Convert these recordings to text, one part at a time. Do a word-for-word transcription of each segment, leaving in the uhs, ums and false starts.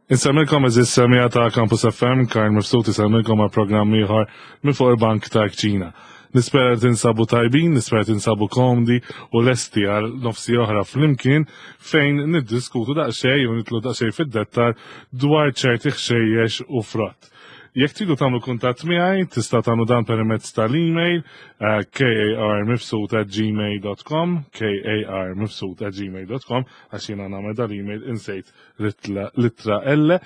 Insemmilkom, għeżież semmiegħa ta' Campus F M, Karl Mifsud isemmilkom għal programm ieħor minn fuq il-bank ta' kċina. Nispera tinsabu tajbin, nispera tinsabu komdi u lesti għal nofs siegħa oħra flimkien fejn niddiskutu daqsxejn u nidħlu daqsxejn fid-dettal dwar ċerti ħxejjex u frott. Jekk tridu tagħmlu kuntatt miegħi, tista' tagħmlu dan permezz tal-email uh, karmifsud at gmail dot com, karmifsud at gmail dot com, għax jiena nagħmel dal-email insejt l-ittra L,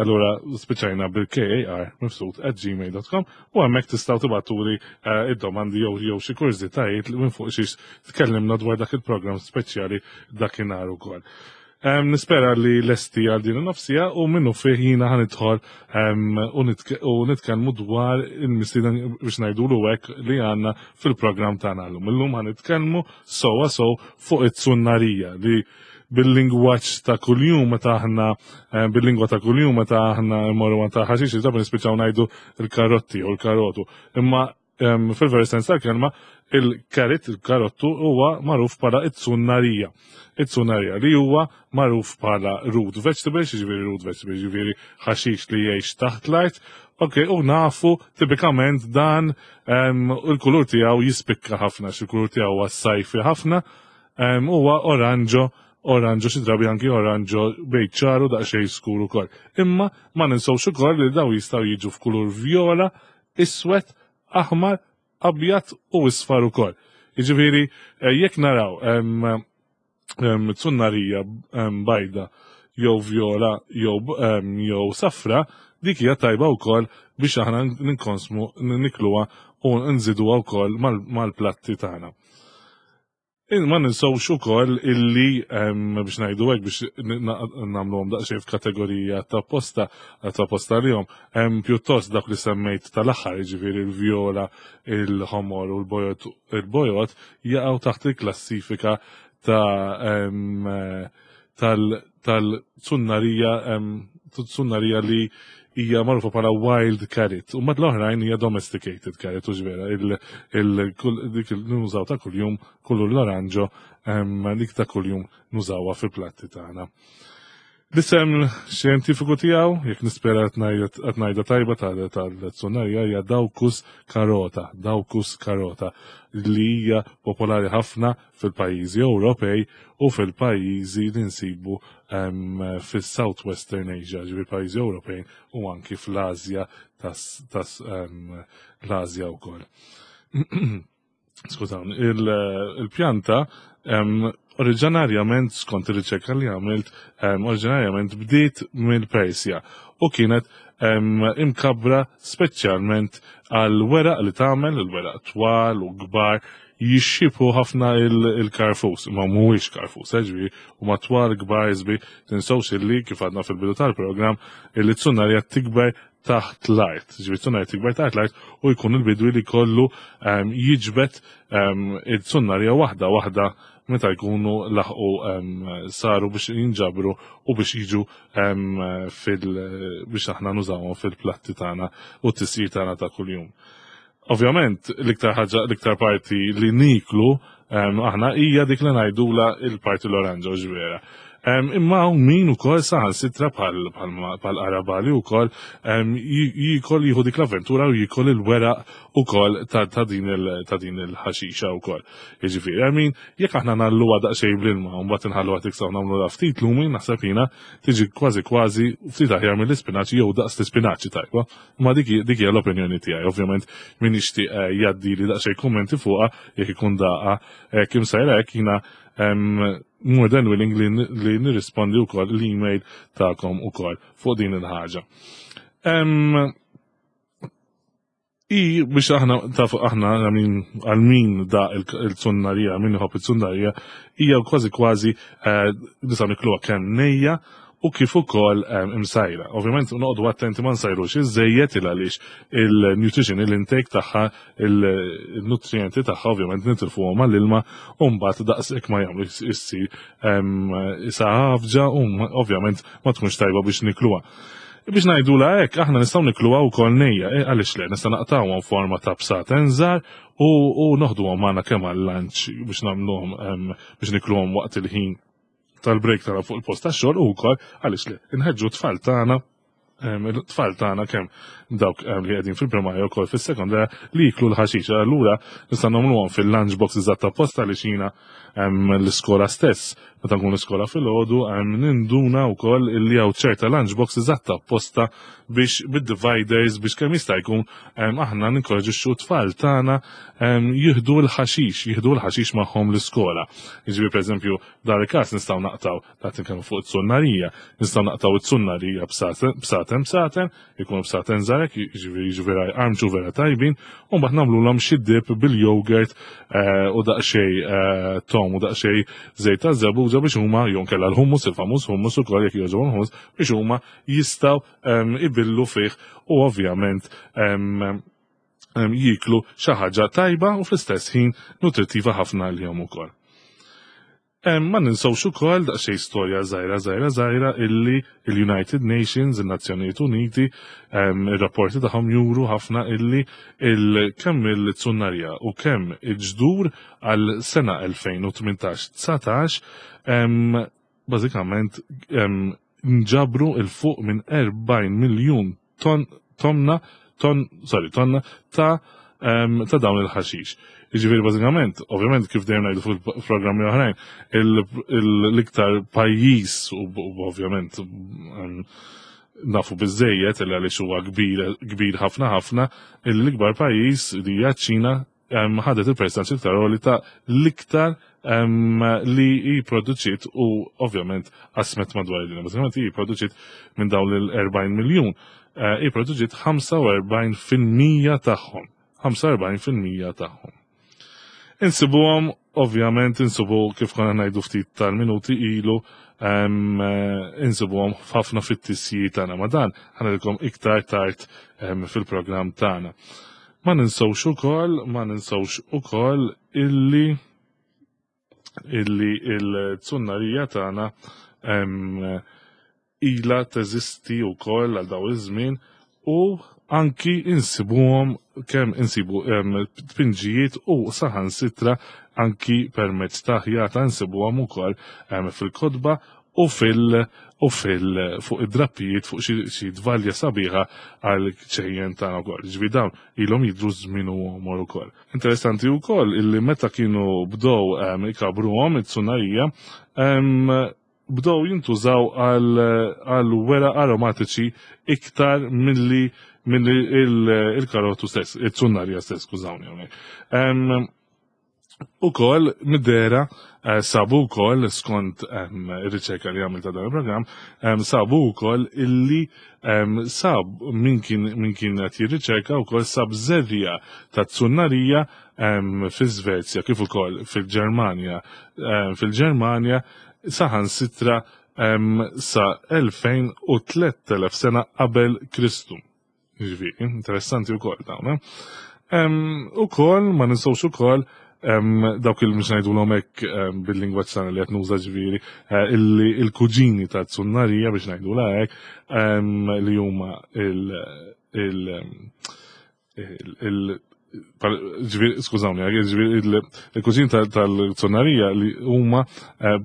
allura spiċajna bil-karmifsud at gmail dot com u hemmhekk tistgħu tibagħtuli uh, id-domandi jew jew xi kurżitajiet minn fuq xiex tkellimna dwar dak il-programm speċjali dakinhar ukoll. Um, nispera li lesti għal din in-nofs siegħa u minnu fih jiena ħa nidħol um, u nitkellmu dwar il-mistieden, biex ngħidulu hekk, li għandna fil-programm tagħna llum. Illum ħa nitkellmu sewwa sew fuq it-tsunnarija li bil-lingwaġġ ta' kuljum meta aħna, eh, bil-lingwa ta' kuljum meta aħna mmorru għand ta' ħaxix ġabba nispiċċaw ngħidu il-karotti u l-karotu. Imma fil-veru sens tal-kelma il-carrot, il-karottu huwa magħruf bħala it-tsunnarija. It-tsunnarija li huwa magħruf bħala root vegetable, jiġifieri root vegetable, jiġifieri ħaxix li jgħix taħt l-art. Ok, u nafu tipikament dan il-kulur tiegħu jispikka ħafna, il-kulur tiegħu huwa sajfi ħafna, huwa oranġo oranġo xi drabi anki oranġo bejn ċaru daqsxejn skur ukoll. Imma ma ninsewx ukoll li daw jistgħu jiġu f'kulur vjola, iswed, aħmar, abjad u isfar ukoll. Jiġifieri eh, jekk naraw tsunnarija bajda jew vjola jew jew safra, dik hija tajba wkoll biex aħna ninkonsmu, nikluha u nżiduha wkoll mal-platti tagħna. Ma ninsawx ukoll illi, biex ngħidu hekk, biex nagħmluhom daqsxejn f'kategorija ta' posta ta' posta lihom, hemm pjuttost dak li semmejt tal-aħħar, jiġifieri il-vjola, il-ħomor u l-bojod il-bojod jaqgħu taħt il-klassifika ta' tal-tsunnarija tsunnarija li hija magħrufa bħala wild carrot. U mad l-oħrajn hija domesticated carrot, u vera dik nużaw ta' kuljum kullu l-oranġo, dik ta' kuljum nużawha fil-platti tagħna. L-isem xjentifiku tiegħu, jekk nispera qed ngħidha tajba, tal-tsunnarija hija Daucus carota, Daucus carota, li hija popolari ħafna fil-pajjiżi Ewropej u fil-pajjiżi li nsibu fis-Southwestern Asia, ġifieri pajjiżi Ewropej u anki fl-Asja tas l-Asja wkoll. Skużawni, il-pjanta oriġinarjament, skont ir-riċerka li għamilt, oriġinarjament bdiet mill-Persja u kienet imkabra speċjalment għal weraq li tagħmel, il-weraq twal u kbar jixxiebhu ħafna il-karfus, ma mhuwiex karfus, ġifieri, u matwal kbar iżbi. Tinsewx illi kif għadna fil-bidu tal-programm illi tsunnarja tikber taħt l-art. Ġifieri tsunnarja tikber taħt l-art u jkun il-bidwi li kollu jiġbet il-tsunnarja waħda waħda meta jkunu laħqu saru biex jinġabru u biex jiġu fil biex aħna nużawhom fil-platti tagħna u t-tisjir tagħna ta' kuljum. Ovvjament, l-iktar ħaġa, l-iktar parti li niklu aħna hija dik li ngħidula il-parti l-oranġo ġvera. Imma hawn min ukoll saħansitra bħal bħal qarabagħli ukoll jikol, jieħu dik l-avventura u jikol il-weraq ukoll ta' din il-ħaxixa wkoll. Jiġifieri, I mean, jekk aħna ngħalluha daqsxejn bl-ilma u mbagħad inħalluha tiksaw, nagħmlu ftit lumi, naħseb jiena tiġi kważi kważi ftit aħjar mill-ispinaċi jew daqs l-ispinaċi tajba. Ma dik dik hija l-opinjoni tiegħi. Ovvjament min jixtieq eh, jgħaddi li daqsxejn kummenti fuqha jekk ikun daqa eh, kim sajra hekk, jiena more than willing li, li nirrispondi wkoll l-email tagħkom ukoll fuq din il-ħaġa. I biex aħna taf aħna għal min da il-tsunnarija, min iħobb il-tsunnarija, hija kważi kważi eh, nistgħu nikluha kemm nejja u kif ukoll imsajra. Ovvjament noqogħdu attenti ma nsajrux iżejjed il għaliex il-nutrition, il-intake tagħha, il-nutrienti tagħha ovvjament nitilfuhom mal-ilma u mbagħad daqshekk ma jagħmlu issir isa ħafġa u ovvjament ma tkunx tajba biex nikluha. Biex ngħidu la hekk, aħna nistgħu nikluha wkoll nejja, eh, għaliex le, nista' naqtawhom forma ta' bsaten żgħar u, u noħduhom magħna kemm għal-lunch biex nagħmluhom biex nikluhom waqt il-ħin tal-break tagħna fuq il-post tax-xogħol u wkoll għaliex li nħeġġu tfal tagħna, tfal tagħna kemm dawk li qegħdin fil-primarja wkoll fis-sekondarja li jiklu l-ħaxix. Allura nista' nagħmluhom fil-lunch box eżatt apposta li xina l-iskola stess. Meta nkun l-iskola filgħodu ninduna wkoll illi hawn ċerta lunch box eżatt apposta biex bid-dividers biex kemm jista' jkun aħna ninkoraġixxu tfal tagħna jieħdu l-ħaxix, jieħdu l-ħaxix magħhom l-iskola. Jiġifieri, pereżempju, dar il-każ nistgħu naqtaw ta' kemm fuq it-sunnarija, nistgħu naqtaw it-sunnarija bsaten bsaten, ikunu bsaten żgħar, jiġifieri jiġifieri armċu vera tajbin, u mbagħad nagħmluhom xi dip bil-yogurt eh, u daqsxejn eh, tom u daqsxejn żejt ta' żebbuġa biex huma jew kellha l-hummus, il-famuż hummus ukoll jekk jogħġobhom hummus, biex huma jistgħu ibillu fih u ovvjament jiklu xi ħaġa tajba u fl-istess ħin nutrittiva ħafna għalihom ukoll. Ma ninsawx ukoll daqsxejn storja żgħira żgħira żgħira illi il-United Nations, il-Nazzjonijiet Uniti, ir-rapporti tagħhom juru ħafna illi il kemm il-tsunnarja u kemm il-ġdur għal sena elfejn u tmintax dsatax bażikament nġabru 'il fuq minn erbgħin miljun ton tonna ton sorry tonna ta' ta' dawn il-ħaxix. Jiġifieri bażikament, ovvjament kif dejjem ngħidu fuq programmi oħrajn, l-iktar pajjiż u ovvjament nafu biżejjed li għaliex huwa kbir kbir ħafna ħafna, l-ikbar pajjiż li hija ċ-Ċina ħadet il-percentaġġ iktar għoli ta' l-iktar li jipproduċiet u ovvjament qasmet madwar id-dinja. Bażikament jipproduċiet minn dawn l-erbgħin miljun, jipproduċiet ħamsa u erbgħin fil-mija tagħhom. ħamsa u erbgħin fil-mija tagħhom. Insibuhom, ovvjament, insibu kif konna ngħidu ftit tal-minuti ilu, insibuhom ħafna fit-tisji tagħna, ma dan ħa ngħidilkom iktar tard fil-programm tagħna. Ma ninsawx ukoll, ma ninsawx ukoll illi illi il-tsunnarija tagħna ila teżisti wkoll għal daw iż-żmien u anki insibuhom kemm insibu tpinġijiet u saħansitra anki permezz ta' ħjata insibuhom ukoll fil-kotba u fil u fil fuq id-drappijiet fuq xi tvalja sabiħa għal ċejjen tagħna wkoll. Ġifieri dawn ilhom jidru żmien u għomor ukoll. Interessanti wkoll illi meta kienu bdew ikabruhom it-tsunarija, bdew jintużaw għal wera aromatiċi iktar milli milli il-karotu stess, it-tsunnarija stess, skużawni hawnhekk. Ukoll mid-dera eh, sabu wkoll skont ir-riċerka li għamil ta' dan il-programm, sabu wkoll illi sab min kien min kien qed jirriċerka wkoll sab żerriegħa ta' tsunnarija fi Svezja kif ukoll fil-Ġermanja fil-Ġermanja saħansitra sa elfejn u tliet elef sena qabel Kristu. Ġifieri, interessanti wkoll dawn. Ukoll ma ninsawx ukoll dawk il mhux ngħidulhom hekk bil-lingwaġġ tagħna li qed nuża, ġifieri eh, illi il-kuġini ta' tsunnarija biex ngħidulha hekk, li huma il il il ġifieri, skużawni, ġifieri il-kuġin tal-tsunnarija li huma eh,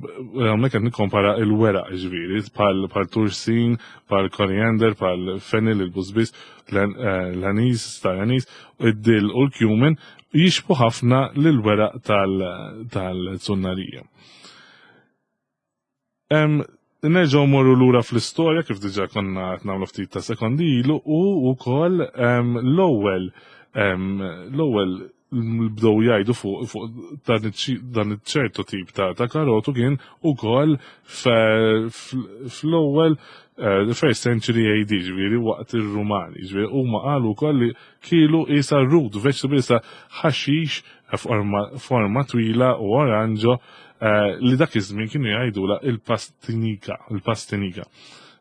hawnhekk qed nikkompara il-weraq, ġifieri bħal tursin, bħal koriander, bħal fennel, il-busbis, eh, l-anis, star anis, id-dill u l-cumin jixbhu ħafna lil-weraq tal-tsunnarija. Nerġgħu morru lura fl-istorja kif diġà konna qed nagħmlu ftit ta' sekondi ilu u wkoll l-ewwel l-ewwel bdew jgħidu fuq fuq dan iċ-ċertu tip ta' ta' karotu kien ukoll fl-ewwel the first century A D, ġifieri waqt ir-Rumani, ġifieri huma qalu wkoll li kielu isa root vegetable, isa ħaxix forma twila u oranġo li dak iż-żmien kienu jgħidula il-pastinika, il-pastinika.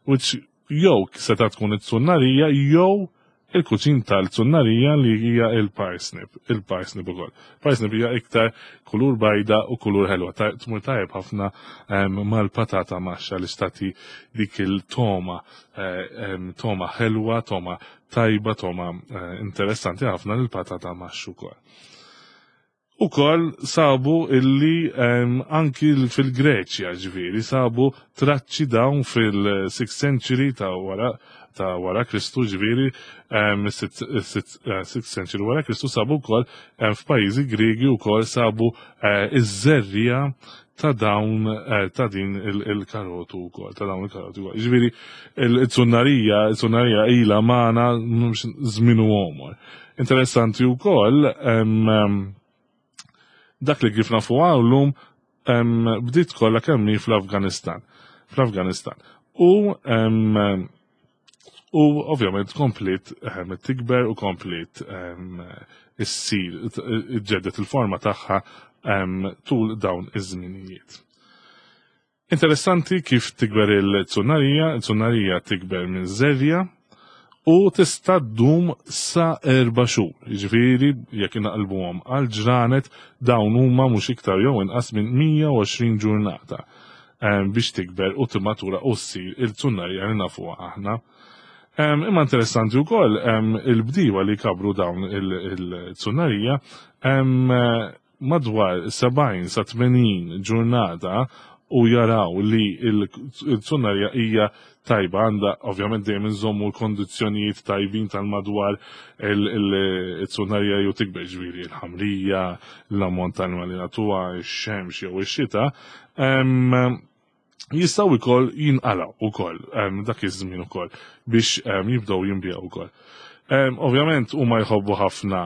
Which jew seta' tkun it-tsunnarija jew il-kuċin tal-tsunnarija li hija il-parsnip, il-parsnip ukoll. Parsnip hija iktar kulur bajda u kulur ħelwa, tmur tajjeb ħafna mal-patata maxxa li tagħti dik il-toma, toma ħelwa, toma tajba, toma interessanti ħafna l-patata maxxa ukoll. Ukoll sabu illi um, anki fil-Greċja, ġifieri, sabu traċċi dawn fil-sixth century ta' wara ta' wara Kristu, ġifieri, um, sixth century wara Kristu sabu wkoll um, f'pajjiżi Griegi wkoll sabu uh, iż-żerriegħa ta' dawn uh, ta' din il-karotu wkoll, ta' dawn il-karotu wkoll. Ġifieri, il-zunnarija, il-zunnarija ilha magħna żmien u għomor. Interessanti wkoll um, dak li kif nafu għallum bdiet kollha kemm fl-Afganistan. Fl-Afganistan. U um, u ovvjament komplet um, tikber u komplet um, issir ġeddet il-forma tagħha um, tul dawn iż-żminijiet. Interessanti kif tikber il-zunnarija, il-zunnarija tikber minn żerriegħa u tista' ddum sa erba' xhur. Jiġifieri jekk inaqilbuhom għal ġranet, dawn huma mhux iktar jew inqas minn mija u għoxrin ġurnata biex tikber u timmatura u ssir il-zunnarija li nafuha aħna. Imma interessanti wkoll il-bdiewa li kabru dawn il-zunnarija madwar sebgħin sa tmenin ġurnata u jaraw li il-zunnarija hija tajba, għandha ovvjament dejjem inżommu l-kondizzjonijiet tajbin tal-madwar il-zunnarija ju tikber, ġifieri il-ħamrija, l-ammont tal-ilma li nagħtuha, ix-xemx jew ix-xita, jistgħu wkoll jinqalgħu ukoll dak iż-żmien ukoll biex jibdew jinbiegħu ukoll. Ovvjament huma jħobbu ħafna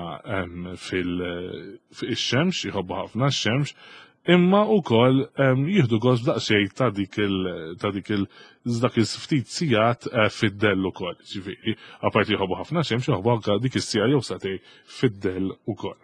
fil-xemx, jħobbu ħafna x-xemx, imma ukoll jieħdu gost daqsxejn ta' dik il ta' dik il dak il-ftit sigħat eh, fid-dell ukoll. Ġifieri, apparti jħobbu ħafna xemx, jħobbu anke dik is-siegħa jew sagħtejn fid-dell ukoll.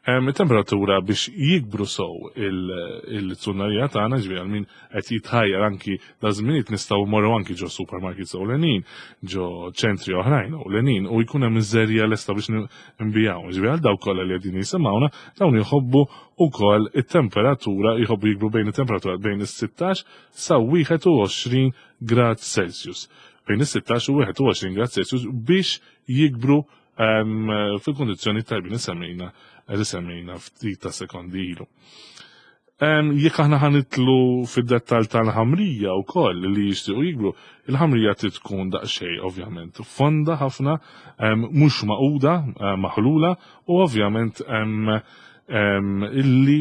Temperatura biex jikbru sow il-zunnarija tagħna, ġifieri għal min qed jitħajjar anki da żminijiet nistgħu morru anki ġo supermarkets ewlenin, ġo ċentri oħrajn ewlenin u jkun hemm iż-żerriegħa lesta biex nbiegħu. Ġifieri għal dawk kollha li qegħdin jisimgħuna, dawn jħobbu ukoll it-temperatura, jħobbu jikbru bejn it-temperatura bejn is-sittax sa wieħed u għoxrin grad Celsius. Bejn is-sittax u wieħed u għoxrin grad Celsius biex jikbru fil-kondizzjoni tajbin li semmejna li semmejna ftit ta' sekondi ilu. Jekk aħna ħa nidħlu fid-dettal tal-ħamrija wkoll li jixtiequ jikbru, il-ħamrija trid tkun daqsxejn ovvjament fonda ħafna, mhux maquda, maħlula u ovvjament illi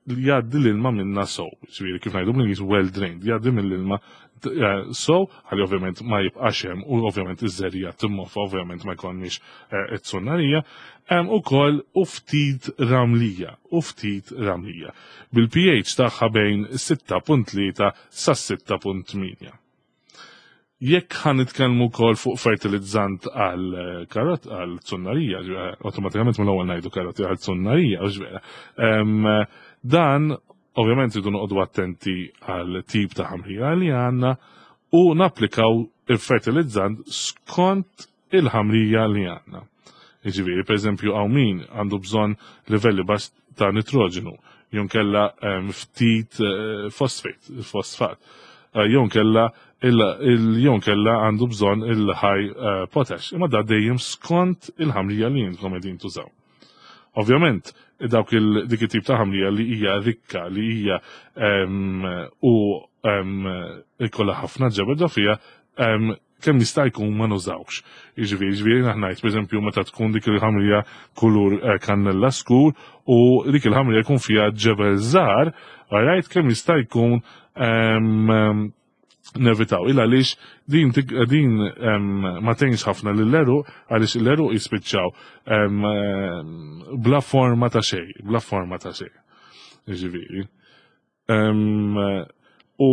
jgħaddi l-ilma minna sow, ġifieri kif ngħidu bl well drained, jgħaddi mill-ilma so, ħalli ovvjament ma jibqax hemm u ovvjament iż-żerriegħa timmoffa, ovvjament ma jkollniex it-zunnarija, ukoll u ftit ramlija, u ftit ramlija. Bil-P H tagħha bejn sitta punt tlieta sa sitta punt tmienja. Jekk ħa nitkellmu wkoll fuq fertilizzant għal karot, għal zunnarija, awtomatikament mill-ewwel ngħidu karoti għal zunnarija, u ġvera. Dan ovvjament rridu noqogħdu attenti għal tip ta' ħamrija li għandna u napplikaw il-fertilizzant skont il-ħamrija li għandna. Jiġifieri, per eżempju, hawn min għandu bżonn livelli baxx ta' nitroġenu, jew kella ftit fosfat, fosfat. Jew kella jew kella għandu bżonn il-high potash. Imma da dejjem skont il-ħamrija li intkom qegħdin tużaw. Ovvjament, dawk il dik it-tip ta' ħamrija li hija rikka, li hija u ikollha ħafna ġebel ġo fiha, kemm jista' jkun ma nużawx. Jiġifieri, jiġifieri ngħid, pereżempju, meta tkun dik il-ħamrija kulur eh, kannella skur u dik il-ħamrija jkun fiha ġebel żgħar, alright, kemm jista' jkun nevitaw. Il għaliex din din ma tgħinx ħafna lill-għeruq, għaliex l-għeruq jispiċċaw bla forma ta' xejn, bla forma ta' xejn. Jiġifieri. U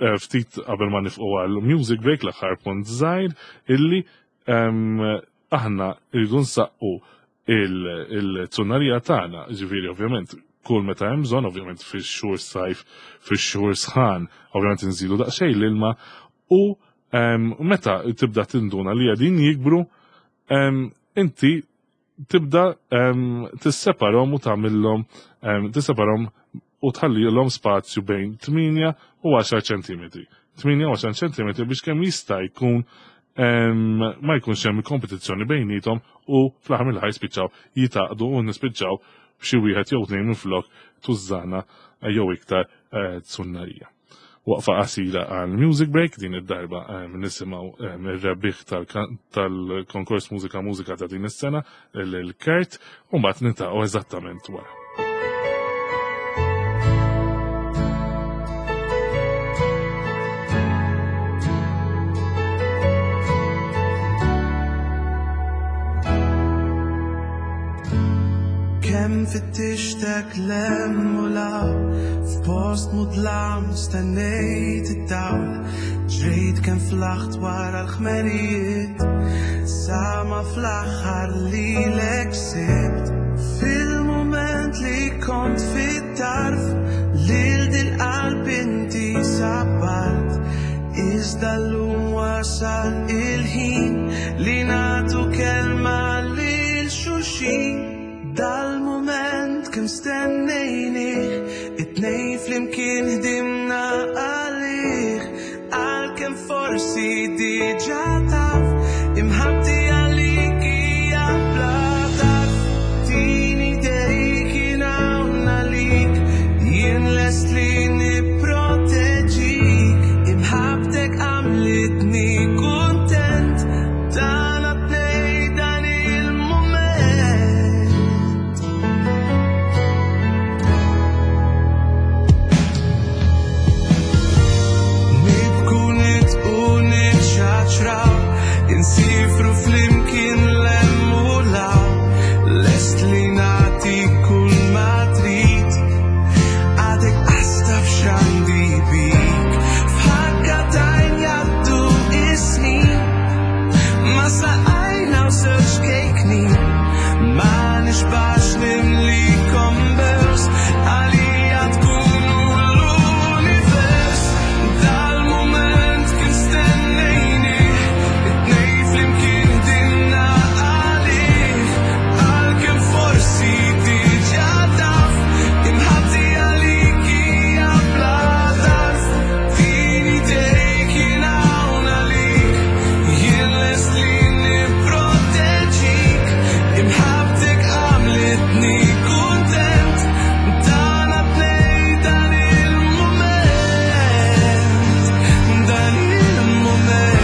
eh, ftit qabel ma nifqu għal music break, l-aħħar punt żgħir illi aħna rridu nsaqqu il-zunnarija tagħna, ġifieri ovvjament kull meta hemm bżonn, ovvjament fix-xhur sajf, fix-xhur sħan, ovvjament nżidu daqsxejn l-ilma u meta tibda tinduna li qegħdin jikbru, inti tibda tisseparhom u tagħmilhom tisseparhom u tħallilhom spazju bejn tmienja u għaxar ċentimetri. tmienja u għaxar ċentimetri biex kemm jista' jkun ma jkunx hemm kompetizzjoni bejnietom u fl-aħħar mill jispiċċaw jitaqdu u nispiċċaw b'xi wieħed jew tnejn minflok tużżana jew iktar tsunnarija. Waqfa qasira għal music break din id-darba nisimgħu ir-rebbieħ tal-konkors Mużika Mużika ta' din is-sena lil Kurt u mbagħad niltaqgħu eżattament wara. Kemm fittixtek lem u law, f'post mudlam stennejt id-dawl, ġrejt kemm flaħt wara l-ħmerijiet, sa ma fl-aħħar lilek sibt. Fil-mument li kont fit-tarf, lil dil-qalb inti sabbart, iżda llum wasal il-ħin li nagħtu kelma lil xulxin. Dal-moment kemm stennejnih, it-tnejn flimkien ħdimna għalih, għalkemm forsi diġà taf, imħabbti għalik hija bla tarf. Tini dejk jien hawn għalik, jien lest li nipproteġik, imħabbtek għamlitni kuntent, tagħna tnejn dan il-mument. Nibku nitqu nitxaċraw, insifru flimkien l-hemm u l-hawn, lest li nagħti kull ma trid, għadek qas taf x'għandi bik. F'ħakka t'għajn jgħaddu is-snin, ma saqajna u żewġ kejknin, ma nixbax nimlikom bews, għalija tkunu l-univers. Dal-mument kien stennejnih, it-tnejn flimkien ħdimna għalih, għalkemm forsi diġà taf, imħabbti għalik hija bla tarf. Tini dejk jien hawn għalik, jien lest li nipproteġik, imħabbtek għamlitni kuntent, tagħna tnejn dan il-mument, dan il-mument.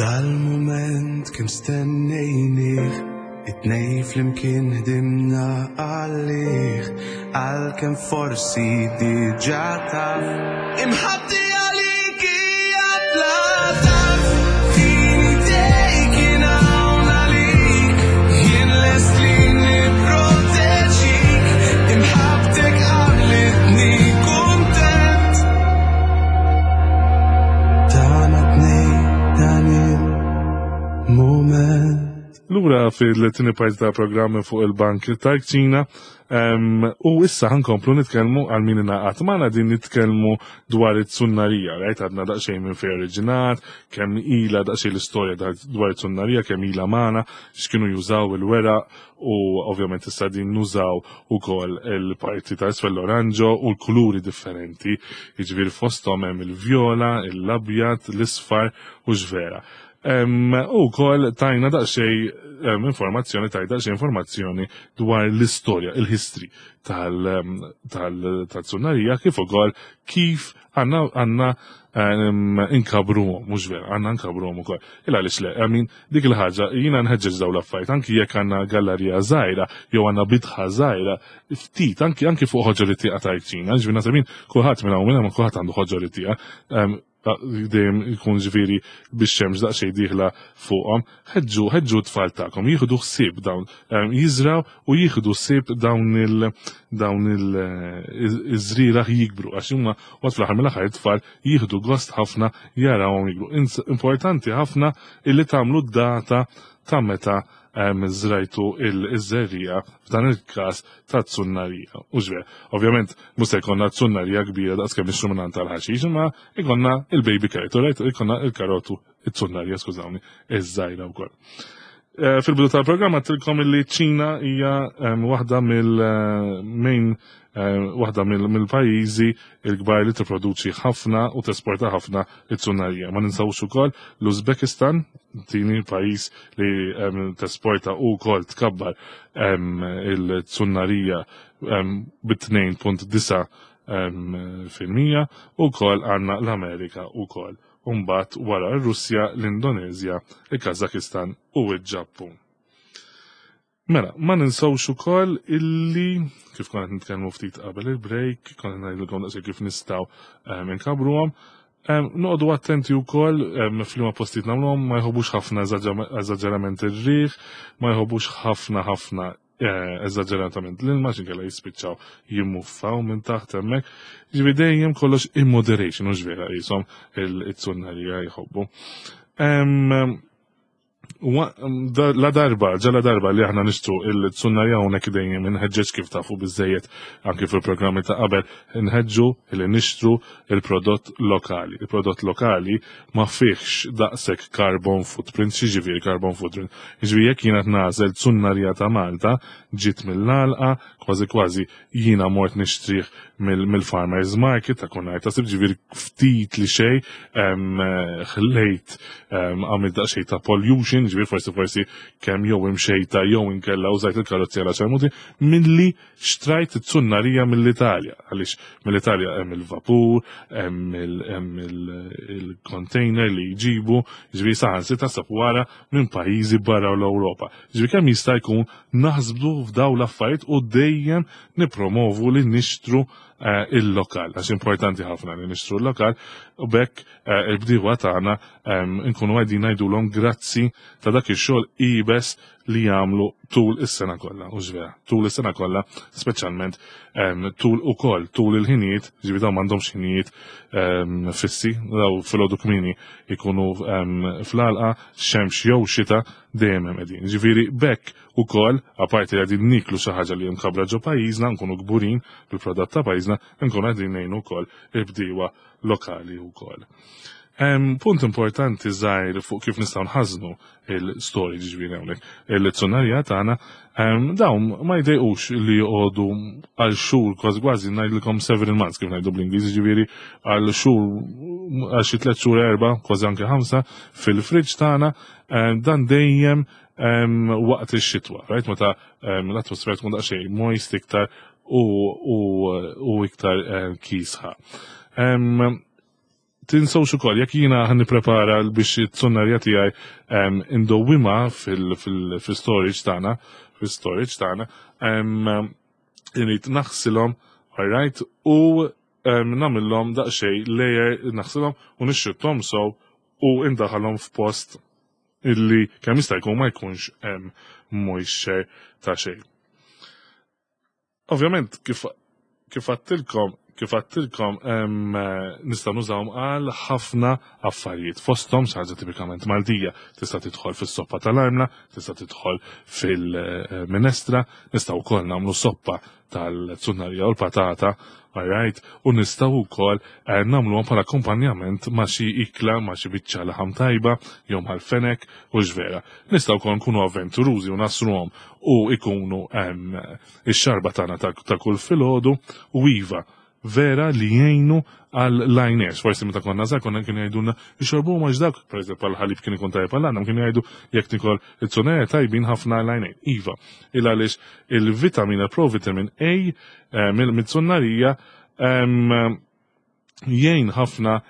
Dal-mument kemm stennejnih, it-tnejn flimkien ħdimna għalih, għalkemm forsi diġà taf, imħabbti għalik hija bla tarf. Tini dejk jien hawn għalik, jien lest li nipproteġik, imħabbtek għamlitni kuntent, tagħna tnejn dan il-mument. Lura fil-tieni parti ta' programmi fuq il-Bank tal-Kċina, u issa ħankomplu nitkellmu għal min ingħaqad magħna din nitkellmu dwar it-tsunnarija, right? Għadna daqsxejn minn fejn oriġinat, kemm ilha daqsxejn l-istorja dwar it-tsunnarija, kemm ilha magħna, x'kienu jużaw il-weraq, u ovvjament issa din nużaw ukoll il-parti ta' isfel l-oranġo u l-kuluri differenti, jiġifieri fosthom hemm il-vjola, l-abjad, l-isfar u x'vera. Em, u wkoll tajna daqsxejn, em, informazzjoni, tajna daqsxejn informazzjoni dwar l-istorja, il-history tal-, tal-, tal-tsunnarija, kif ukoll kif għandna, għandna, em, inkabruhom, mhux vera, għandna nkabruhom ukoll. Il għaliex le, I mean, dik il-ħaġa, jiena nħeġġeġ dawn l-affarijiet, anki jekk għandna gallerija żgħira jew għandna bitħa żgħira, ftit, anki, anki fuq ħoġor it-tieqa tal-kċina, ġifieri naħseb jien kulħadd minn hawn minn hawn kulħadd għandu ħoġor it-tieqa, em, dejjem ikun ġifieri biex xemx daqsxejn dieħla fuqhom, ħeġġu, ħeġġu t-tfal tagħkom, jieħdu ħsieb dawn, em, jiżraw u jieħdu ħsieb dawn il-, dawn il-, iż-żrieragħ jikbru, għax huma waqt fl-aħħar mill-aħħar it-tfal jieħdu gost ħafna jarawhom jikbru. Ins-, importanti ħafna illi tagħmlu d-data ta' meta żrajtu il-żerriegħa f'dan il-każ ta' tsunnarija. U ġver, ovvjament mhux se jkollna tsunnarija kbira daqs kemm nixtru minn tal-ħaxix, imma jkollna il-baby carrot, right? Jkollna il-karotu, it-tsunnarija, skużawni, iż-żgħira wkoll. Eh, fil-bidu tal-programm għedtilkom illi ċina hija waħda mill-main waħda mill-pajjiżi il-kbar li tipproduċi ħafna u tesporta ħafna it-tsunnarija. Ma ninsawx ukoll l-Uzbekistan, tieni pajjiż li tesporta u wkoll tkabbar il-tsunnarija bit-tnejn punt disgħa fil-mija u wkoll għandna l-Amerika ukoll. Umbat wara r-Russja, l-Indonezja, il-Kazakistan u il-Ġappun. Mela, ma ninsawx ukoll illi kif konna nitkellmu ftit qabel il-break, konna ngħidilkom daqsxejn kif nistgħu inkabruhom. Noqogħdu attenti wkoll f'liema postijiet nagħmluhom. Ma jħobbux ħafna eżaġerament ir-riħ, ma jħobbux ħafna ħafna eh, eżaġeratament l-ilma, x'inkella jispiċċaw jimmuffaw minn taħt hemmhekk. Ġifieri dejjem kollox in moderation, u vera jisom il-tsunnarija jħobbu. La darba, ġala darba li aħna nixtru il-tsunnarija, hawnhekk dejjem inħeġġeġ, kif tafu biżejjed anki fil-programmi ta' qabel, nħeġġu li nixtru il-prodott lokali. Il-prodott lokali ma fihx daqshekk carbon footprint. X'jiġifieri carbon footprint? Jiġifieri jekk jiena nagħżel tsunnarija ta' Malta, ġiet mill-għalqa, kważi kważi jiena mort nixtrih mill-farmers market ta' kunnar ta' ġifieri ftit li xej ħlejt, għamil daqsxejn ta' pollution, ġifieri forsi forsi kemm jew imxejta jew inkella użajt il-karozzi għal ċarmuti, milli xtrajt it-tsunnarija mill-Italja. Għaliex mill-Italja hemm il-vapur, hemm il-container li jġibu, ġifieri saħansitra sab wara minn pajjiżi barra l-Ewropa. Ġifieri kemm jista' jkun naħsbu f'daw l-affarijiet u dejjem nipromovu li nixtru eh, il-lokal, għax importanti ħafna li nixtru l-lokal u bekk eh, il-bdiewa tagħna nkunu qegħdin ngħidulhom grazzi ta' dak ix-xogħol iebes li jagħmlu tul is-sena kollha, u vera, tul is-sena kollha, speċjalment tul ukoll tul il-ħinijiet, ġifieri dawn m'għandhomx ħinijiet fissi, daw filgħodu kmieni ikunu fl-għalqa, xemx jew xita, dejjem hemm qegħdin. Ġifieri bekk ukoll, apparti li qegħdin niklu xi ħaġa li mkabra ġo pajjiżna, nkunu kburin bil-prodott ta' pajjiżna, nkunu qegħdin ngħinu wkoll il-bdiewa lokali wkoll. Punt importanti żgħir fuq kif nistgħu nħażnu il-storage, ġifieri hawnhekk il-tsunnarija tagħna, dawn ma jdejqux li joqogħdu għal xhur, kważi kważi ngħidilkom several months, kif ngħidu bl-Ingliż, ġifieri għal xhur, għal xi tliet xhur, erba', kważi anke ħamsa fil-fridge tagħna, dan dejjem waqt ix-xitwa, right? Meta l-atmosfera tkun daqsxejn moist iktar u iktar kisħa. Tinsewx ukoll jekk jiena ħa nipprepara biex it-tsunnarja tiegħi indowwimha fil-storage tagħna, fil-storage tagħna, irrid naħsilhom, alright, u nagħmilhom daqsxejn layer, naħsilhom u nixxutthom sew u indaħalhom f'post illi kemm jista' jkun ma jkunx hemm moisture ta' xejn. Ovvjament, kif kif għedtilkom kif għedtilkom nistgħu nużawhom għal ħafna affarijiet. Fosthom xi ħaġa tipikament Maltija, tista' tidħol fis-soppa tal-armla, tista' tidħol fil-minestra, nistgħu wkoll nagħmlu soppa tal-tsunnarija u l-patata, alright, u nistgħu wkoll eh, nagħmluhom bħala akkompanjament ma' xi ikla, ma' xi biċċa laħam tajba, jew mal-fenek u ġvera. Nistgħu wkoll nkunu avventurużi u nagħsruhom u ikunu ix-xarba tagħna ta' kull filgħodu u iva, vera li jgħinu għal lajners. Forsi meta konna żgħar konna kienu jgħidulna ixorbu ma dak, per eżempju għal-ħalib kien ikun tajjeb għal kienu jgħidu jekk tikol it-tsunera tajbin ħafna għal-għajnejn. Iva, il għaliex il-vitamina, provitamin A eh, mill-tsunnarija jgħin ħafna,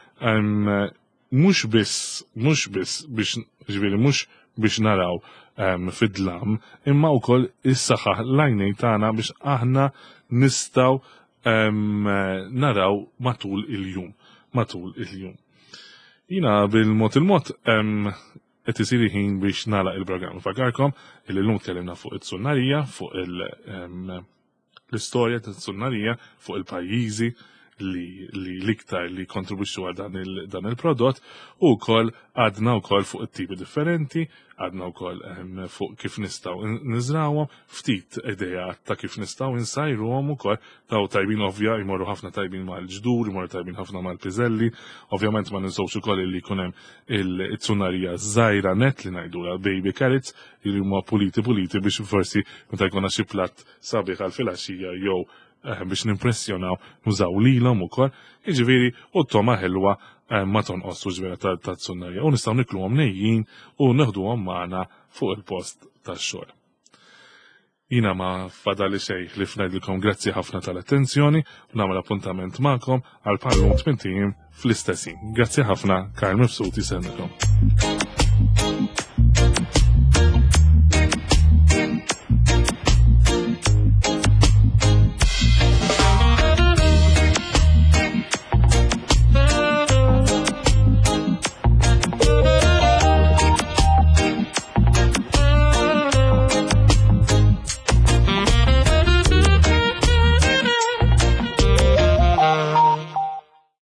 mhux biss mhux biss biex, ġifieri mhux biex naraw fid-dlam, imma wkoll is-saħħa l-għajnejn tagħna biex aħna nistgħu naraw matul il-jum. Matul il-jum. Jina bil-mod il-mod qed isir ħin biex nagħlaq il-programm. Fakkarkom illi llum tkellimna fuq it-tsunnarija, fuq l-istorja tat-tsunnarija, fuq il-pajjiżi li l-iktar li kontribwixxu għal dan il- dan il-prodott u wkoll għadna wkoll fuq it-tipi differenti, għadna wkoll ehm, fuq kif nistgħu niżrawhom, ftit idea ta' kif nistgħu insajruhom ukoll daw tajbin ovvja jmorru ħafna tajbin mal-ġdur, jmorru tajbin ħafna mal-piżelli, ovvjament ma ninsewx ukoll li jkun hemm il-tsunarija żgħira net li ngħidulha baby carrots li huma puliti puliti biex forsi meta jkollna xi platt sabiħ għal filgħaxija jew eh, biex nimpressjonaw nużaw lilhom ukoll. Jiġifieri u t-togħma ħelwa eh, ma tonqos vera ta' tsunnarija. U nistgħu nikluhom nejjin u neħduhom magħna fuq il-post tax-xogħol. Jiena ma fadali xejn li ngħidilkom grazzi ħafna tal-attenzjoni u nagħmel appuntament magħkom għal bħal-lum tmint ijiem fl-istess ħin. Grazzi ħafna, Karl Mifsud isellmilkom.